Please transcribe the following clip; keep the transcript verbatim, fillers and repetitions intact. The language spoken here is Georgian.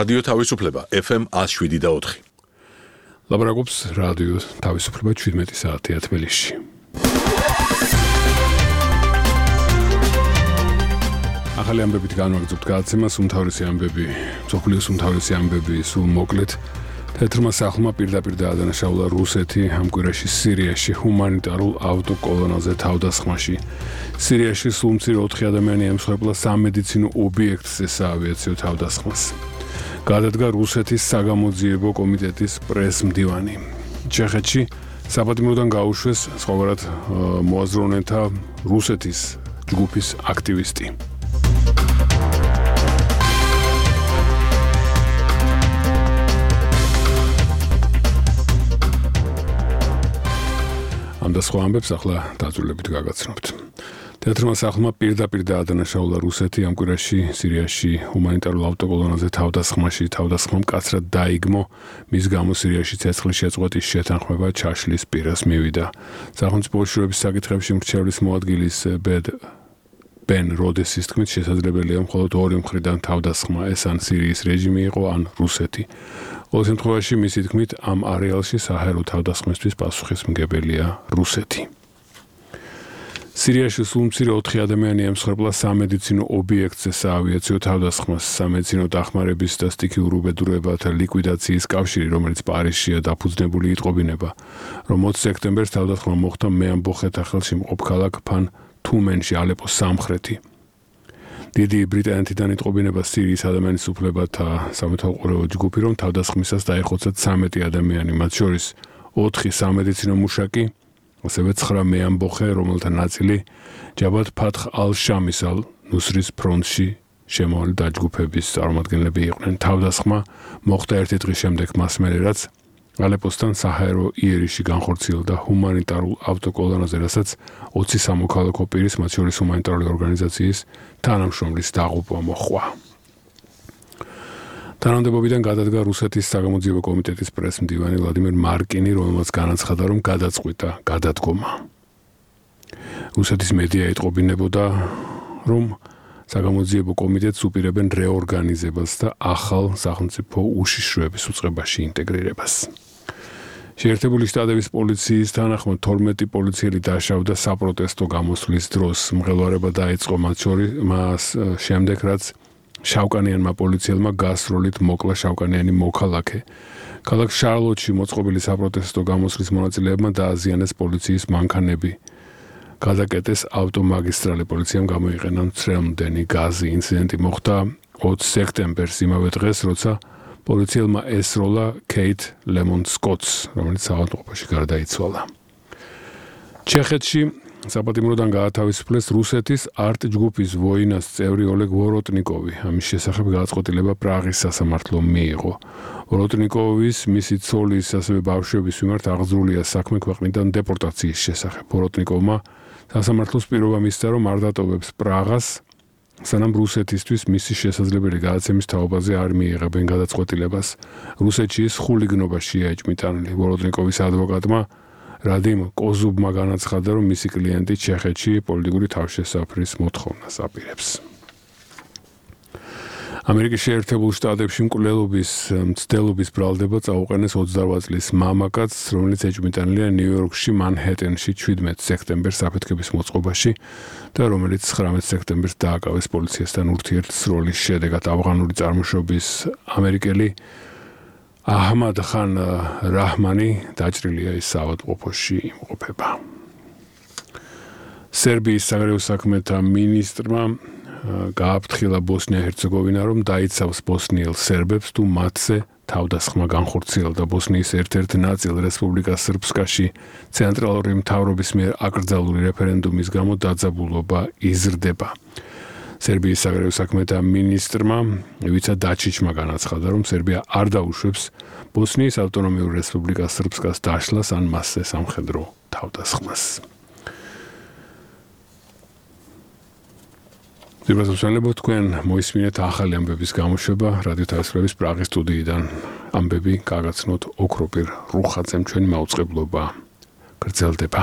რადიო თავისუფლება F M one oh seven და four. ლაპარაკობს რადიო თავისუფლება seventeen საათია თბილისში. ახალი ამბებით განვაგრძობთ გადაცემას, უმთავრესი ამბები, მსოფლიოს უმთავრესი ამბები სულ მოკლედ. თეთრმა სახლმა პირდაპირ დაადანაშაულა რუსეთი ამ კვირაში სირიაში ჰუმანიტარულ ავტოკოლონაზე თავდასხმაში. სირიაში სულ მცირე ოთხი ადამიანი ემსხვერპლა სამედიცინო ობიექტზე საავიაციო თავდასხმას. გადადგა რუსეთის საგამოძიებო კომიტეტის პრეს-მდივანი. ჩეხეთში საპატიმროდან გაუშვეს სხვაგვარად მოაზროვნეთა რუსეთის ჯგუფის აქტივისტი. ამ და სხვა ამბებს ახლა დაწვრილებით გაგაცნობთ. თეთრმა სახლმა პირდაპირ დაადანაშაულა რუსეთი ამ კვირაში სირიაში ჰუმანიტარულ ავტოკოლონაზე თავდასხმაში. თავდასხმა მკაცრად დაიგმო, მის გამო სირიაში ცეცხლის შეწყვეტის შეთანხმება ჩაშლის პირას მივიდა. სახელმწიფო უშუალობის საკითხებში მრჩევლის მოადგილის ბედ ბენ როდესის თქმით შესაძლებელია მხოლოდ ორი მხრიდან თავდასხმა, ეს ან სირიის რეჟიმი იყო, ან რუსეთი. ყოველ შემთხვევაში მისი თქმით ამ არეალში საჰაერო თავდასხმისთვის პასუხისმგებელია რუსეთი. სირიაში სულ მცირე ოთხი ადამიანი ემსხვერპლა სამედიცინო ობიექტზე საავიაციო თავდასხმას. სამედიცინო დახმარების და სტიქიურ უბედურებათა ლიკვიდაციის კავშირი, რომელიც პარიზშია დაფუძნებული იტყობინება, რომ ოცი სექტემბერს თავდასხმა მოხდა მეამბოხეთა ხელში მყოფ ქალაქ ფან თუმენში, ალეპოს სამხრეთი. დიდი ბრიტანეთიდან იტყობინება სირიის ადამიანის უფლებათა სამეთვალყურეო ჯგუფი, რომ თავდასხმისას დაეხოცათ სამეტი ადამიანი, მათ შორის ოთხი სამედიცინო მუშაკი, ასევე ცხრა მეამბოხე, რომელთა ნაწილი ჯაბათ ფათხ ალ-შამის ალ-ნუსრის ფრონტში შემავალი დაჯგუფების წარმომადგენლები იყვნენ. თავდასხმა მოხდა ერთი დღის შემდეგ მას მერე, რაც ალეპოსთან საჰაერო იერიში განხორციელდა ჰუმანიტარულ ავტოკოლონაზე, რასაც ოცი სამოქალაქო პირის, მათ შორის ჰუმანიტარული ორგანიზაციის თანამშრომლის დაღუპვა მოჰყვა. თანამდებობიდან გადადგა რუსეთის საგამოძიებო კომიტეტის პრეს-მდივანი ვლადიმერ მარკინი, რომელმაც განაცხადა, რომ გადაწყვიტა გადადგომა. რუსეთის მედია იტყობინებოდა, რომ საგამოძიებო კომიტეტს უპირებენ რეორგანიზებას და ახალ სახელმწიფო უშიშროების უწყებაში ინტეგრირებას. შეერთებული შტატების პოლიციის თანახმად თორმეტი პოლიციელი დაშავდა საპროტესტო გამოსვლის დროს. მღელვარება დაიწყო მათ შორის მას შემდეგ, რაც შავკანიანმა პოლიციელმა გასროლით მოკლა შავკანიანი მოქალაქე. ქალაქ შარლოტში მოწყობილი საპროტესტო გამოსვლის მონაწილეებმა დააზიანეს პოლიციის მანქანები. გადაკეტეს ავტომაგისტრალი, პოლიციამ გამოიყენა მცრემლმდენი გაზი. ინციდენტი მოხდა ოცი სექტემბერს, იმავე დღეს, როცა პოლიციელმა ესროლა კეით ლემონ სკოტს, რომელიც საავადმყოფოში გარდაიცვალა. ჩეხეთში საპატიმროდან გაათავისუფლეს რუსეთის არტ ჯგუფის ვოინას წევრი ოლეგ ვოროტნიკოვი. ამის შესახებ გადაწყვეტილება პრაღის სასამართლომ მიიღო. ვოროტნიკოვის, მისი ცოლის, ასევე ბავშვების მიმართ აღძრულია საქმე ქვეყნიდან დეპორტაციის შესახებ. ვოროტნიკოვმა სასამართლოს პირობა მისცა, რომ არ დატოვებს პრაღას, სანამ რუსეთისთვის მისი შესაძლებელი გადაცემის თაობაზე არ მიიღებენ გადაწყვეტილებას. რუსეთში ის ხულიგნობა შეაჭმიტანილი. ვოროტნიკოვის ადვოკატმა რადიმ კოზუბმა განაცხადა, რომ მისი კლიენტი ჩეხეთში პოლიტიკური თავშესაფრის მოთხოვნას აპირებს. ამერიკის შეერთებულ შტატებში მკვლელობის მცდელობის ბრალდება წაუყენეს ოცდარბዓ წლის მამაკაცს, რომელიც ეჭვმიტანილია ნიუ-იორკში მანჰეტენში seventeen სექტემბერს აფეთქების მოწყობაში და რომელიც nineteen სექტემბერს დააკავეს პოლიციასთან ურთიერთსროლის შედეგად. ავღანური წარმოშობის ამერიკელი აჰმად ხან რაჰმანი დაჭრილია ის საავადმყოფოში იმყოფება. სერბიის საგარეო საქმეთა მინისტრმა გააფრთხილა ბოსნია-ჰერცეგოვინა, რომ დაიცავს ბოსნიელ სერბებს თუ მათზე თავდასხმა განხორციელდა. ბოსნიის ერთ-ერთ ნაწილ რესპუბლიკა სრბსკაში ცენტრალური მთავრობის მიერ აკრძალული რეფერენდუმის გამო დაძაბულობა იზრდება. სერბიის საგარეო საქმეთა მინისტრმა ივიცა დაჩიჩმა განაცხადა, რომ სერბია არ დაუშვებს ბოსნიის ავტონომიურ რესპუბლიკა სრბსკას დაშლას ან მასზე სამხედრო თავდასხმას. ძირბასამშველებო, თქვენ მოისმინეთ ახალი ამბების გამოშვება რადიო თავისუფლების პრაღის სტუდიიდან. ამბები გაგაცნოთ ოქროპირ რუხაძემ, ჩვენი მაუწყებლობა გრძელდება.